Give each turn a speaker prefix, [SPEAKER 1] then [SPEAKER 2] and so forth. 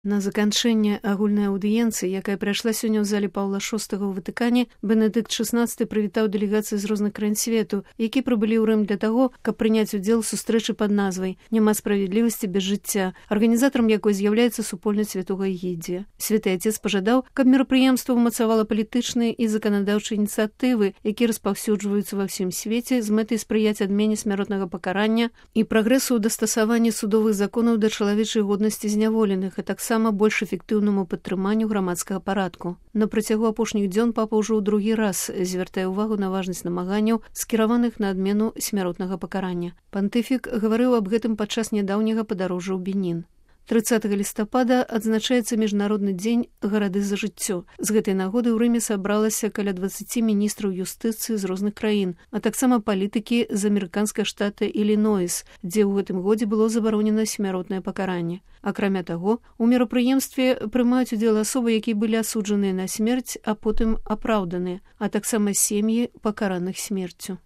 [SPEAKER 1] На заканчэнне агульнай аўдыенцыі, якая прайшла сёння ў зале Паўла VI ў Ватыкане, Бенедыкт XVI прывітаў дэлегацыі з розных краін свету, які прыбылі ў Рым для таго, каб прыняць удзел у сустрэчы пад назвай «Няма справядлівасці без жыцця», арганізатарам якой з'яўляецца супольнасць святога Егідзія. Святы Отец пажадаў, каб мерапрыемства ўмацавала палітычныя і заканадаўчыя ініцыятывы, якія распаўсюджваюцца ва ўсім свеце з мэтай спрыяць адмене смяротнага пакарання і прагрэсу ў дастасаванні судовых законаў да чалавечай годнасці зняволеных, а таксама больш эфектыўнаму падтрыманню грамадскага парадку. На працягу апошніх дзён папа ўжо ў другі раз звяртае ўвагу на важнасць намаганняў, скіраваных на адмену смяротнага пакарання. Пантыфік гаварыў аб гэтым падчас нядаўняга падарожжа ў Бенін. 30 лістапада адзначаецца міжнародны дзень гарады за жыццё. З гэтай нагоды ў Рыме сабралася каля 20 міністраў юстыцыі з розных краін, а таксама палітыкі з амерыканскага штата Ілінойс, дзе ў гэтым годзе было забаронена смяротнае пакаранне. Акрамя таго, у мерапрыемстве прымаюць удзел асобы, якія былі асуджаныя на смерць, а потым апраўданыя, а таксама сем'і пакараных смерцю.